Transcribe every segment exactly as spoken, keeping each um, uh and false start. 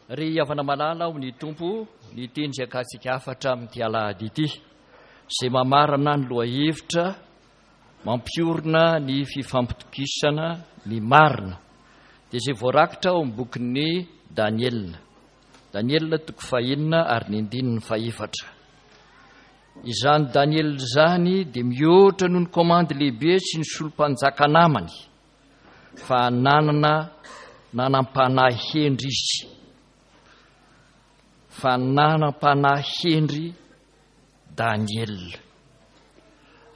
Ry havana malala ao ny Tompo, ny teny izay akantsika hafatra amin'ity alahady ity, izay mamarana ny lohahevitra mampiorina ny fifampitokisana ny marina, dia izay voarakitra ao amin'ny bokin'ny Daniela. Daniela toko fahenina ary ny andininy fahefatra. Izany Daniela izany dia mihoatra noho ny komandy lehibe sy ny solom-panjaka namany, fa nanana nanam-panahy hendry izy. Fa nanam-panahy hendry Daniela.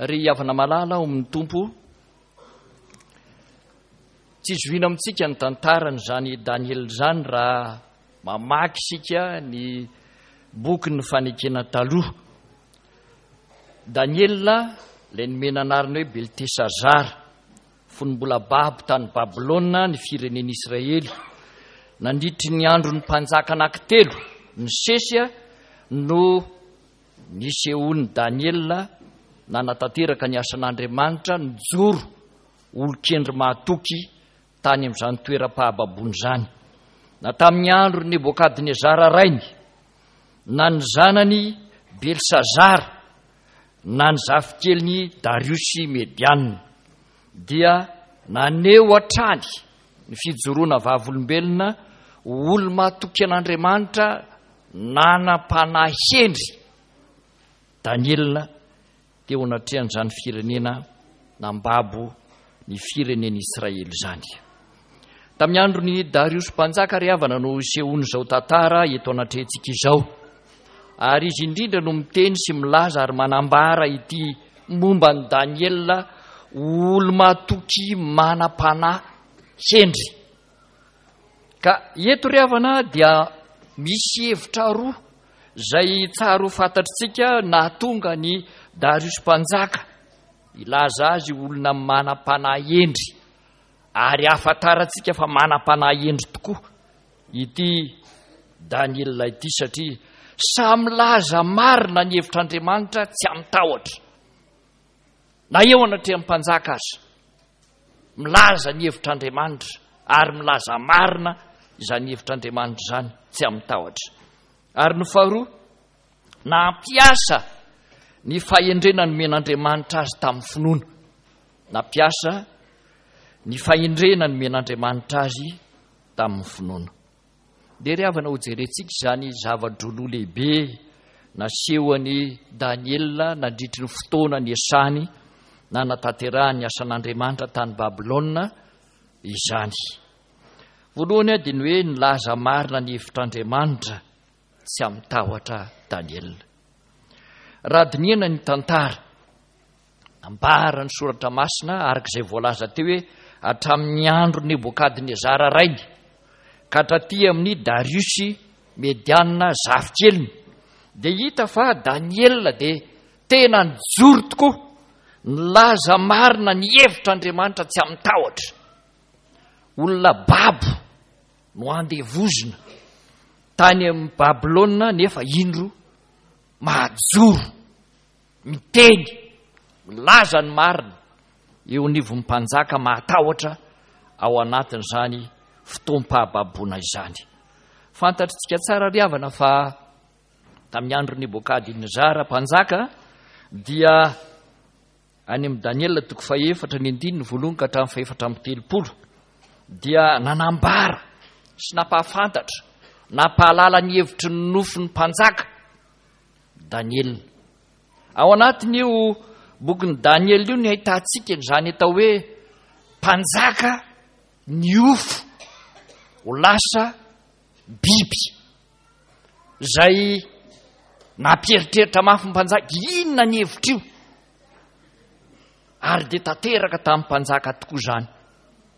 Ry havana malala ao amin'ny Tompo, tsy zohiana amintsika ny tantaran'izany Daniela izany raha mamaky isika ny bokin'ny fanekena taloha. Daniela, ilay nomena anarana hoe Beltesazara, fony mbola babo tany Babylona ny firenen'Israely, nandritry ny andron'ny mpanjaka anankitelo nisesy no nisehoan'i Daniela nanatanteraka ny asan'Andriamanitra, nijoro olon-kendry mahatoky tany amin'izany toeram-pahababoana izany. Na tamin'ny andron'i Nebokadnezara rainy, na ny zanany Belsazara, na ny zafikeliny Dariosy Mediana, dia naneho hatrany ny fijoroana vavolombelona ho olo-mahatoky an'Andriamanitra nanam-panahy hendry Daniela teo anatrehan'izany firenena nambabo ny firenen'Israely izany. Tamin'ny andron'i Dariosy mpanjaka ry havana no isehoan'izao tantara eto anatrehantsika izao. Ary izy indrindra no miteny sy milaza ary manambara ity momba an'i Daniela olo-mahatoky manam-panahy hendry. Ka eto ry havana dia misy hevitra roa izay tsara ho fantatritsika nahatonga ny Dariosy mpanjaka hilaza azy olona manam-panahy hendry, ary ahafantarantsika fa manam-panahy hendry tokoa ity Daniela ity, satria samy milaza marina ny hevitr'Andriamanitra tsy amin-tahotra na eo anatrehan'ny mpanjaka aza. Milaza ny hevitr'Andriamanitra ary milaza marina izany hevitr'Andriamanitra izany tsy amin-tahotra. Ary ny faharoa, nampiasa ny fahendrena nomen'Andriamanitra azy tamin'ny finoana. Nampiasa ny fahendrena nomen'Andriamanitra azy tamin'ny finoana. Dia ry havana, hojerentsika izany zava-droa lehibe nasehon'i Daniela nandritry ny fotoana niasany nanatanterahany ny asan'Andriamanitra tany Babylona izany. Voalohany dia ny hoe nilaza marina ny hevitr'Andriamanitra tsy amin-tahotra Daniela. Raha dinihana ny tantara, ambara ny soratra masina araka izay voalaza teo hoe hatramin'ny andro Nebokadnezara rainy ka hatraty amin'ny Dariosy Mediana zafikeliny, dia hita fa Daniela dia tena nijoro tokoa nilaza marina ny hevitr'Andriamanitra tsy amin-tahotra. Olona babo no andevozina tany amin'ny Babylona, nefa indro mahajoro miteny milaza ny marina eo anivon'ny mpanjaka mahatahotra ao anatin'izany fotoam-pahababoana izany. Fantatritsika tsara ry havana fa tamin'ny andro Nebokadnezara mpanjaka dia any amin'ny Daniela toko fahefatra ny andininy voalohany ka hatramin'ny fahefatra amby telopolo dia nanambara sy nampahafantatra nampahalala ny hevitry ny nofin'ny mpanjaka Daniela. Ao anatin'io bokin'i Daniela io ny ahitantsika izany atao hoe mpanjaka niofo ho lasa biby izay nampieritreritra mafy ny mpanjaka. Inona ny hevitr'io? Ary dia tanteraka tamin'ny mpanjaka tokoa izany.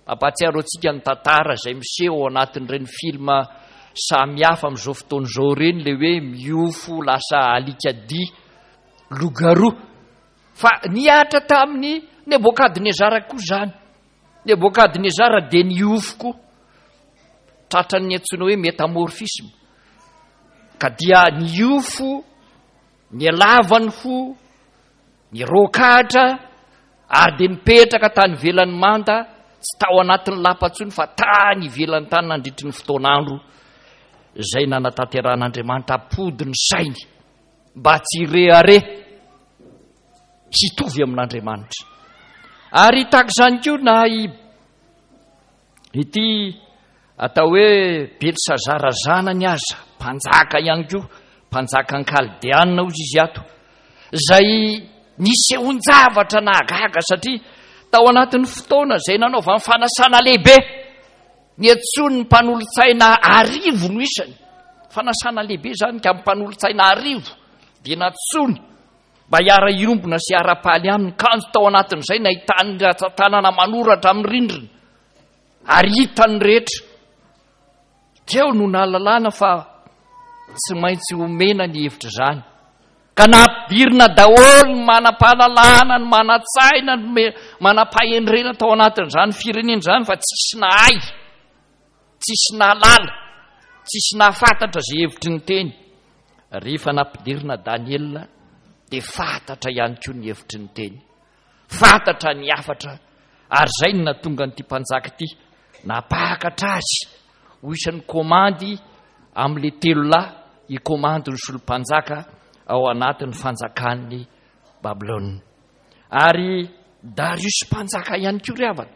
Mampahatsiaro antsika ny tantara izay miseho ao anatin'ireny filma samihafa amin'izao fotoana izao ireny, ilay hoe miofo lasa alikadia loup-garou. Fa nihatra tamin'ny Nebokadnezara koa izany. Nebokadnezara dia niofo koa, tratran'ny antsoina hoe métamorphisme, ka dia niofo ny lavany fo, ny rokatra, ary dia nipetraka tany ivelan'ny manda, tsy tao anatin'ny lapa intsony fa tany ivelan'ny tany nandritry ny fotoan'andro izay nanatanterahan'Andriamanitra hampody ny sainy mba tsy hirehareha hitovy amin'Andriamanitra. Ary tahaka izany koa na ity atao hoe Belsazara zanany aza, mpanjaka ihany koa, mpanjakan'ny Kaldeana hozy izy ato, izay nisehoan-javatra nahagaga satria tao anatin'ny fotoana izay nanaovany fanasana lehibe, niantsoany ny mpanolotsaina arivo no isany. Fanasana lehibe izany ka mpanolotsaina arivo dia nantsoiny mba hiara-hiombona sy hiara-paly aminy. Kanjo tao anatin'izay nahitany ratsan-tanana manoratra amin'ny rindrina ary hitan'ny rehetra. Teo no nahalalana fa tsy maintsy omena ny hevitra izany. Ka nampidirina daholo ny manam-pahalalana, ny manan-tsaina, ny manam-pahendrena tao anatin'izany firenena izany, fa tsisy nahay, tsisy nahalala, tsisy nahafantatra izay hevitry ny teny. Rehefa nampidirina Daniela dia fantatra ihany koa ny hevitry ny teny, fantatra ny hafatra, ary izay no nahatonga an'ity mpanjaka ity nampakatra azy ho isan'ny komandy amin'ilay telo lahy hikomandy ny solom-panjaka ao anatin'ny fanjakan'ny Babylona. Ary Darius mpanjaka ihany koa ry havana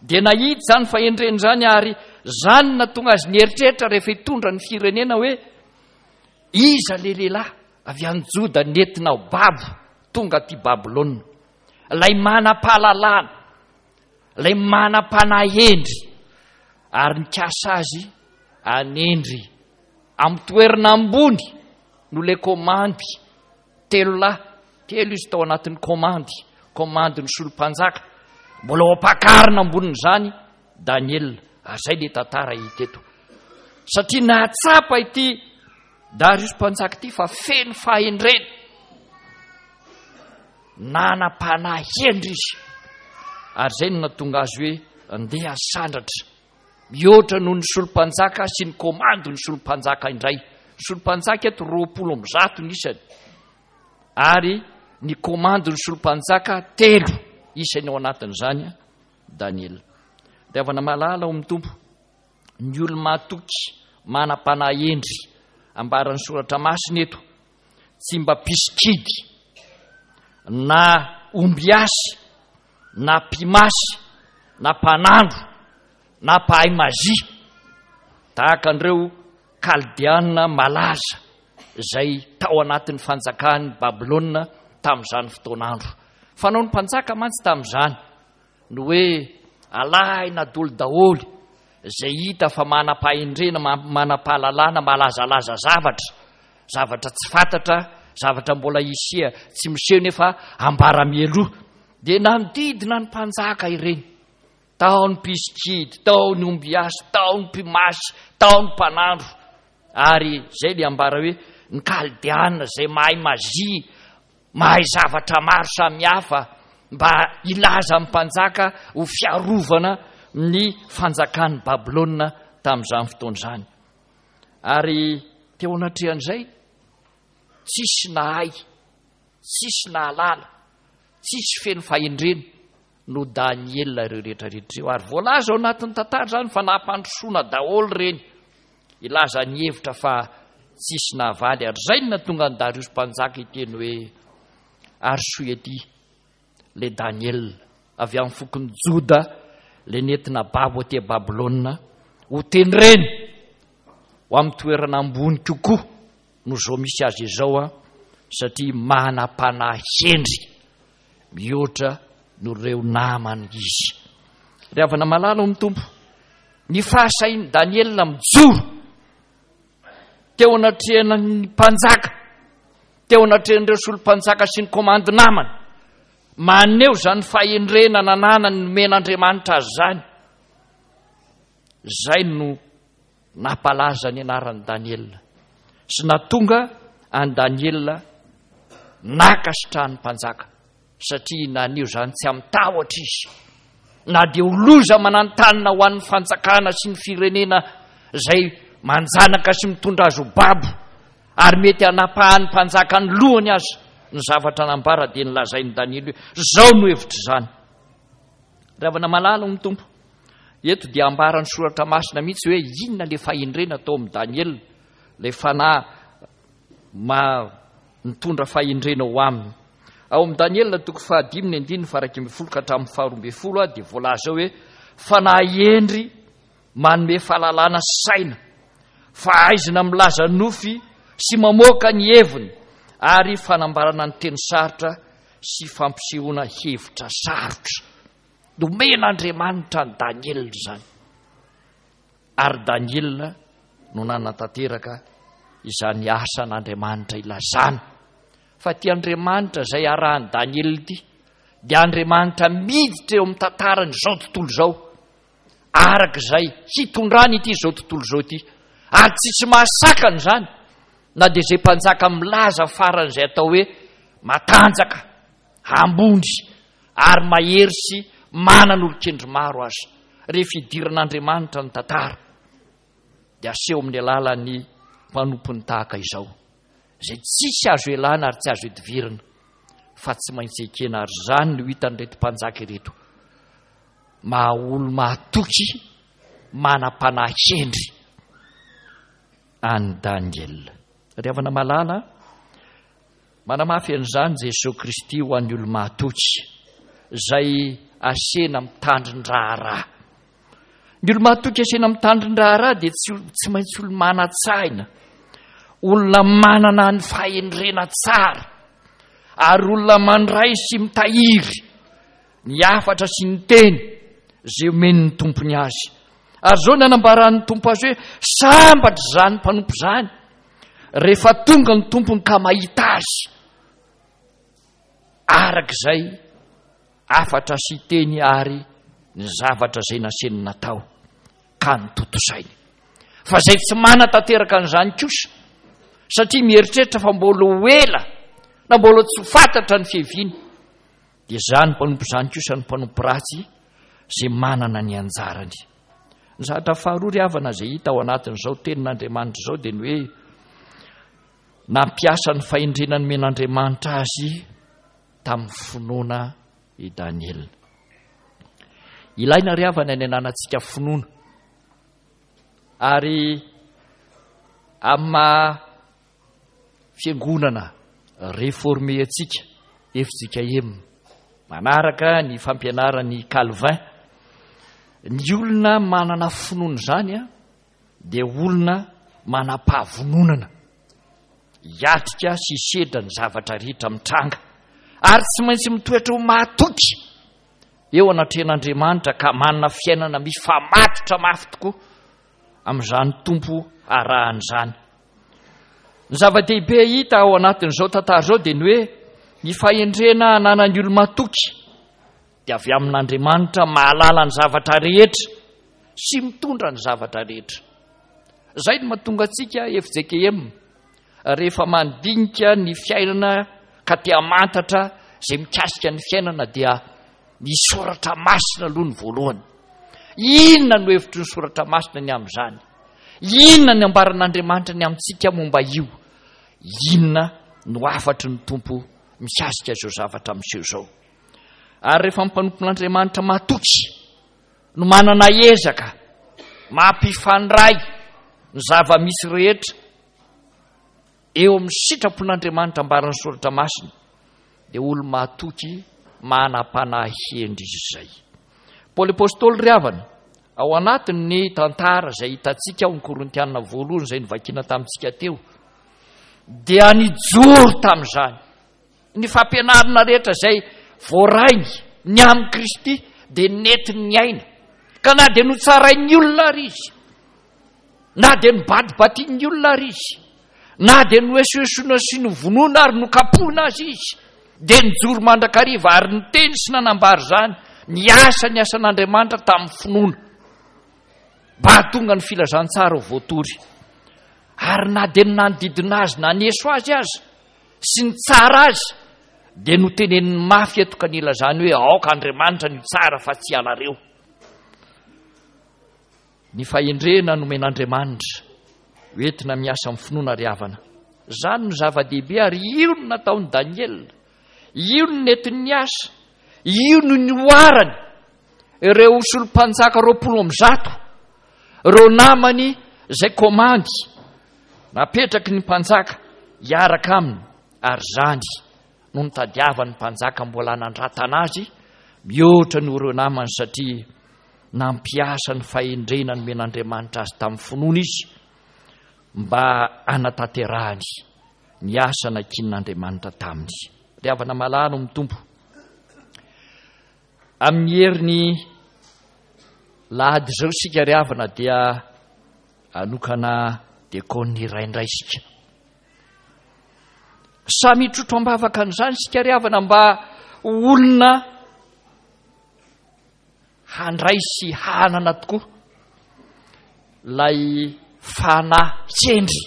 dia nahita izany fahendrena izany, ary izany no nahatonga azy nieritreritra rehefa hitondra ny firenena hoe iza le lehilahy avy any Joda nentina ho babo tonga aty Babylona, ilay manam-pahalalana, ilay manam-panahy hendry, ary nikasa azy hanendry amin'ny toerana ambony no le komandy telo lahy, telo izy tao anatin'ny komandy, komandy ny solom-panjaka, mbola ho ampakarina ambonin'izany Daniela. Ary izay le tantara hita eto, satria nahatsapa ity Darius mpanjaka ity fa feno fahendrena, nanam-panahy hendry izy, ary izay no nahatonga azy hoe andeha hasandratra mihoatra noho ny solom-panjaka sy ny komandy ny solom-panjaka indray. Ny solom-panjaka eto roapolo amby zato ny isany, ary ny komandy ny solom-panjaka telo isany ao anatin'izany Daniela. Dia havana malala ao amin'ny Tompo, ny olo-mahatoky manam-panahy hendry ambaran'ny soratra masina eto, tsy mba mpisikidy na ombiasy na mpimasy na mpanandro na mpahay mazia tahaka an'ireo Kaldeana malaza izay tao anatin'ny fanjakan'i Babylona tamin'izany fotoan'andro. Fanaon'ny mpanjaka mantsy tamin'izany ny hoe alahina dolo daholo izay hita fa manam-pahendrena, manam-pahalalana, malazalaza zavatra, zavatra tsy fantatra, zavatra mbola hisia tsy miseho nefa ambara mialoha. Dia nanodidina ny mpanjaka ireny. Tao ny mpisikidy, tao ny ombiasy, tao ny mpimasy, tao ny mpanandro. Ary izay ilay ambara hoe ny Kaldeana izay mahay mazia, mahay zavatra maro samihafa mba hilaza amin'ny mpanjaka ho fiarovana ny fanjakan'i Babylona tamin'izany fotoana izany. Ary teo anatrehan'izay, tsisy nahay, tsisy nahalala, tsisy feno fahendrena no Daniela ireo rehetra rehetra ireo. Ary voalaza ao anatin'ny tantara izany fa nampandrosoana daholo ireny, hilaza ny hevitra fa tsisy nahavaly. Ary izay no nahatonga an'i Darius mpanjaka hiteny hoe arosoy aty le Daniela avy amin'ny fokon'i Joda, le nentina babo aty Babylona, ho tendreny ho amin'ny toerana ambony kokoa no izao misy azy izao, a, satria manam-panahy hendry mihoatra noho ireo namany izy. Ry havana malala ao amin'ny Tompo, ny fahasahian'i Daniela mijoro teo anatrehan'ny mpanjaka, teo anatrehan'ireo solom-panjaka sy ny komandy namany, maneho izany fahendrena nananany nomen'Andriamanitra azy izany. Izay no nampalaza ny anaran'i Daniela sy nahatonga an'i Daniela nankasitrahan'ny mpanjaka, satria naneho izany tsy amin-tahotra izy, na dia ho loza manantanina ho an'ny fanjakana sy ny firenena izay manjanaka sy mitondra azy ho babo, ary mety hanapahan'ny mpanjaka ny lohany aza. Ny zavatra nambara dia nolazain'i Daniela hoe izao no hevitr'izany. Ry havana malala ao amin'ny Tompo, Eto dia ambaran'ny Soratra Masina mihitsy hoe inona ilay fahendrena tao amin'i Daniela, ilay fanahy ma nitondra fahendrena ho aminy. Ao amin'i Daniela toko fahadimy ny andininy faha-iraika ambin'ny folo ka hatramin'ny faharoa ambin'ny folo dia voalaza hoe fanahy hendry manome fahalalana sy saina, fahaizana milaza nofy sy mamoaka ny heviny, ary fanambarana ny teny sarotra sy fampisehoana hevitra sarotra. Nomen'Andriamanitra an'i Daniela izany, ary Daniela no nanatanteraka izany asan'Andriamanitra ilazana fa ity Andriamanitra izay arahan'i Daniela ity dia Andriamanitra miditra eo amin'ny tantaran'izao tontolo izao, araka izay hitondrany ity izao tontolo izao ity, ary tsisy mahasakana izany na dia izay mpanjaka milaza faran'izay atao hoe matanjaka, ambony ary mahery sy manan'olon-kendry maro aza. Rehefa idiran'Andriamanitra ny tantara dia aseho amin'ny alalan'ny mpanompony tahaka izao, izay tsisy azo elana ary tsy azo idivirana fa tsy maintsy ekena. Ary izany no hitan'ireto mpanjaka ireto, maha olo mahatoky, manam-panahy hendry an'i Daniela. Ry havana malala, manamafy an'izany Jesoa Kristy ho an'ny olo mahatoky izay asena mitandrin-draharaha. Ny olo mahatoky asena mitandrin-draharaha dia tsy, tsy maintsy olo manan-tsaina, olona manana ny fahendrena tsara, ary olona mandray sy mitahiry ny hafatra sy ny teny izay omen'ny tompony azy. Ary izao ny anambaran'ny Tompo azy hoe sambatra izany mpanompo izany rehefa tonga ny tompony ka mahita azy araka izay hafatra sy teny ary ny zavatra izay naseny natao ka notontosainy. Fa izay tsy manatanteraka an'izany kosa, satria mieritreritra fa mbola ho ela na mbola tsy ho fantatra ny fiaviany, dia izany mpanompo izany kosa ny mpanompo ratsy izay manana ny anjarany. Ny zavatra faharoa ry havana izay hita ao anatin'izao tenin'Andriamanitra izao dia ny hoe nampiasa ny fahendrena nomen'Andriamanitra azy tamin'ny finoana i Daniela. Ilaina ry havana ny ananantsika finoana, ary amin'ny maha fiangonana réformé antsika F J K M manaraka ny fampianaran'i Calvin, ny olona manana finoana izany dia olona manam-pahavononana hiatrika sy hisedra ny zavatra rehetra mitranga, ary tsy maintsy mitoetra ho mahatoky eo anatrehan'Andriamanitra ka manana fiainana mifamatotra mafy tokoa amin'izany Tompo arahany izany. Ny zava-dehibe hita ao anatin'izao tantara izao dia ny hoe ny fahendrena ananan'ny olo-matoky dia avy amin'Andriamanitra mahalala ny zavatra rehetra sy mitondra ny zavatra rehetra. Izay no mahatonga antsika F J K M rehefa mandinika ny fiainana ka te hamantatra izay mikasika ny fiainana dia ny soratra masina aloha ny voalohany. Inona no hevitry ny soratra masina ny amin'izany? Inona ny ambaran'Andriamanitra ny amintsika momba io? Inona no hafatry ny Tompo mikasika izao zavatra miseho izao? Ary rehefa mpanompon'Andriamanitra matoky no manana ezaka mampifandray ny zava-misy rehetra eo amin'ny sitrapon'Andriamanitra ambaran'ny soratra masina, dia olo-mahatoky manam-panahy hendry izy izay. Paoly Apostoly ry havana, ao anatin'ny tantara izay hitantsika ao amin'ny Korintiana voalohany izay novakiana tamintsika teo, dia nijoro tamin'izany. Ny fampianarana rehetra izay voarainy ny amin'i Kristy dia nentiny niaina. Ka na dia notsarain'ny olona ary izy, na dia nobadibadian'ny olona ary izy, na dia noesoesoina sy novonoina ary nokapohina azy izy, dia nijoro mandrakariva ary niteny sy nanambara izany, niasa ny asan'Andriamanitra tamin'ny finoana, mba hahatonga ny filazantsara ho voatory. Ary na dia ny nanodidina azy naneso azy aza sy nitsara azy, dia noteneniny mafy eto ka nilazany hoe aoka Andriamanitra no hitsara fa tsy ianareo. Ny fahendrena nomen'Andriamanitra hoentina miasa amin'ny finoana ry havana. Izany no zava-dehibe ary io no nataon'i Daniela, io no nentiny niasa, io no nihoarany Ireo solom-panjaka roapolo amby zato, ireo namany izay komandy napetraky ny mpanjaka hiaraka aminy, ary izany no nitadiavan'ny mpanjaka mbola hanandratana azy mihoatra noho ireo namany, satria nampiasa ny fahendrena nomen'Andriamanitra azy tamin'ny finoana izy mba hanatanterahany ny asa nankinin'Andriamanitra taminy. Ry havana malala ao amin'ny Tompo, amin'ny herin'ny lahady izao isika ry havana dia hanokana dekônina iray indray isika. Samy hitrotro am-bavaka an'izany isika ry havana mba ho olona handray sy hanana tokoa ilay fanahy kendry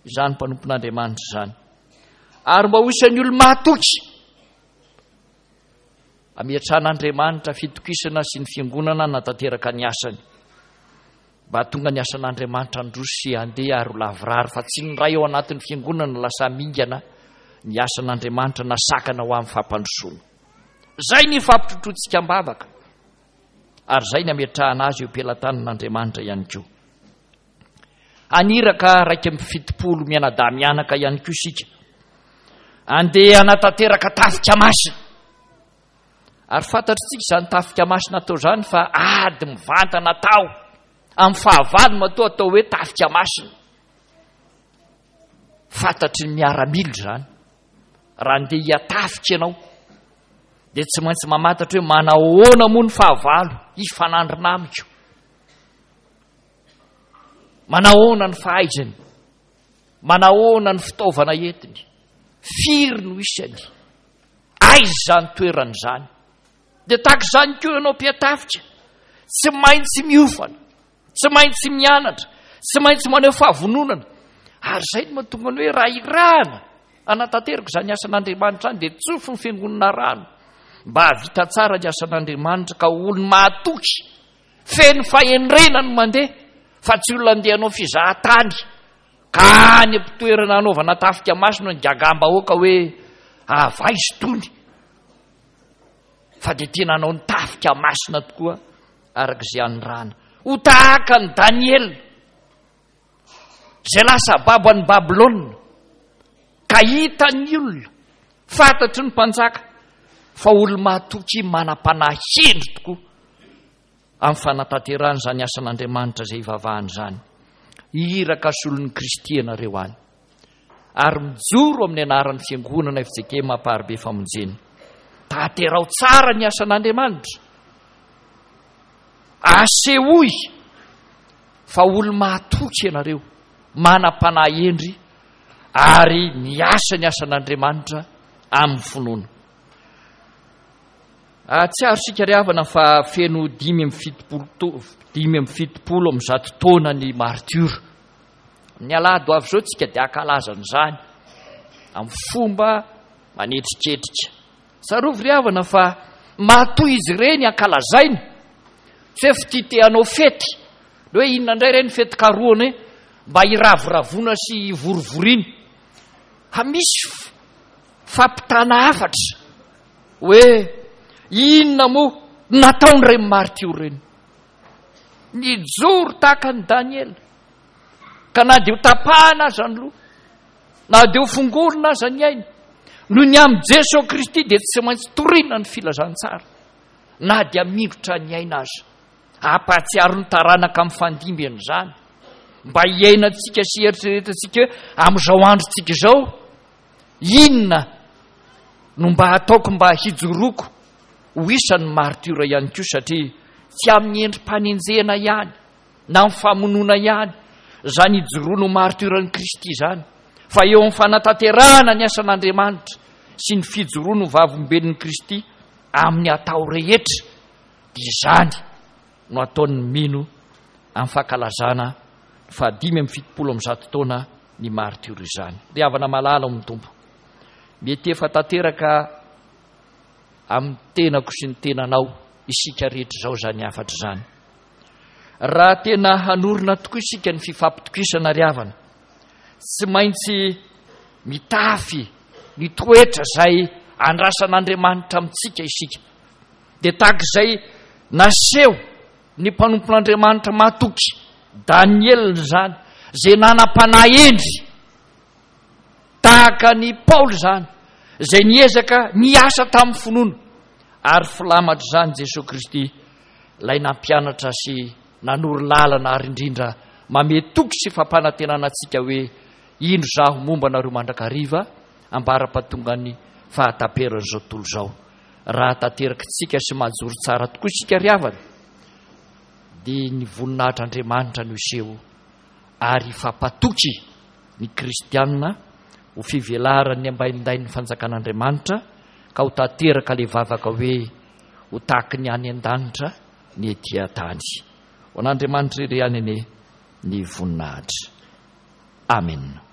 izany mpanompon'Andriamanitra izany, ary mba ho isan'ny olo-mahatoky ametrahan'Andriamanitra fitokisana sy ny fiangonana natanteraka ny asany, mba hahatonga ny asan'Andriamanitra handroso sy handeha ary ho lavorary, fa tsy ny ray ao anatin'ny fiangonana lasa mingana ny asan'Andriamanitra na sakana ho amin'ny fampandrosoana. Izay ny fampitrotroantsika am-bavaka, ary izay ny ametrahana azy eo am-pelatanan'Andriamanitra ihany koa. Haniraka iraika amby fitopolo mianadahy mianaka ihany koa isika, andeha hanatanteraka tafika masina. Ary fantatritsika izany tafika masina atao izany fa ady mivantana atao amin'ny fahavalo matoa atao hoe tafika masina. Fantatry ny miaramila izany. Raha andeha hiatafika ianao dia tsy maintsy mamantatra hoe manahoana moa ny fahavalo hifanandrina amiko, manahoana ny fahaizany, manahoana ny fitaovana entiny, firy no isany, aiza izany toerana izany. Dia tahaka izany koa ianao mpiatafika, tsy maintsy miofana, tsy maintsy mianatra, tsy maintsy maneho fahavononana. Ary izay no mahatonga ny hoe raha irahana hanatanteraka izany asan'Andriamanitra izany dia tsofy ny fiangonana rano mba hahavita tsara ny asan'Andriamanitra, ka ho olo-mahatoky feno fahendrena no mandeha, fa tsy olona andeha hanao fizahan-tany ka any am-pitoerana hanaovana tafika masina ny gagam-bahoaka hoe avaizo tony, fa dia tena hanao ny tafika masina tokoa araka izay anirahana. Ho tahaka an'i Daniela izay lasa babo an'i Babylona ka hitan'ny olona, fantatry ny mpanjaka fa olo-mahatoky manam-panahy hendry tokoa amin'ny fanatanterahana izany asan'Andriamanitra izay ivavahana izany. Iraka solon'i Kristy ianareo any, ary mijoro amin'ny anaran'ny fiangonana F J K M Amparibe Famonjena. Tanterao tsara ny asan'Andriamanitra, asehoy fa olo-mahatoky ianareo, manam-panahy hendry ary miasa ny asan'Andriamanitra amin'ny finoana. Ahatsiaro isika ry havana fa feno dimy amby fitopolo to-, dimy amby fitopolo amby zato taona ny martiora. Ny alahady ho avy izao tsika dia hankalaza an'izany amin'ny fomba manetriketrika. Tsarovy ry havana fa matoa izy ireny ankalazaina, tsy hoe fitia te hanao fety, ny hoe inona indray ireny fety karohana hoe mba hiravoravoana sy hivorivoriana. Fa misy fampitana hafatra hoe inona moa nataon'ireny martiora ireny. Nijoro tahaka an'i Daniela, ka na dia ho tapahana aza ny loha, na dia ho fongorina aza ny aina, noho ny amin'i Jesoa Kristy dia tsy maintsy torina ny filazantsara, na dia mingotra ny aina aza. Hampahatsiaro ny taranaka mifandimby an'izany, mba hiainantsika sy hieritreretantsika hoe amin'izao androntsika izao, inona no mba hataoko mba hijoroako ho isan'ny martiora ihany koa, satria tsy amin'ny endri-panenjehana ihany na amin'ny famonoana ihany izany hijoroana ho martioran'i Kristy izany, fa eo amin'ny fanatanterahana ny asan'Andriamanitra sy ny fijoroana ho vavolombelon'i Kristy amin'ny atao rehetra, dia izany no ataon'ny mino amin'ny fankalazana ny fahadimy amby fitopolo amby zato taona ny martiora izany. Ry havana malala ao amin'ny Tompo, mety efa tanteraka amin'ny tenako sy ny tenanao isika rehetra izao izany hafatra izany. Raha tena hanorina tokoa isika ny fifampitokisana ry havana, tsy maintsy mitafy ny toetra izay andrasan'Andriamanitra amintsika isika. Dia tahaka izay naseho ny mpanompon'Andriamanitra mahatoky, Daniela izany, izay nanam-panahy hendry, tahaka an'i Paoly izany, izay niezaka niasa tamin'ny finoana, ary filamatr'izany Jesoa Kristy, ilay nampianatra sy nanoro lalana ary indrindra mamehy toky sy fampanantenana antsika hoe, Indro izaho momba anareo mandrakariva, ambara-pahatongan'ny fahataperan'izao tontolo izao. Raha tanterakitsika sy mahajoro tsara tokoa isika ry havana, dia ny voninahitr'Andriamanitra no hiseho ary hifampatoky ny kristiana ho fivelaran'ny ambaindain'ny fanjakan'Andriamanitra ka ho tanteraka ilay vavaka hoe ho tahaky ny any an-danitra ny ety an-tany. Ho an'Andriamanitra irery ihany anie ny voninahitra. Amena.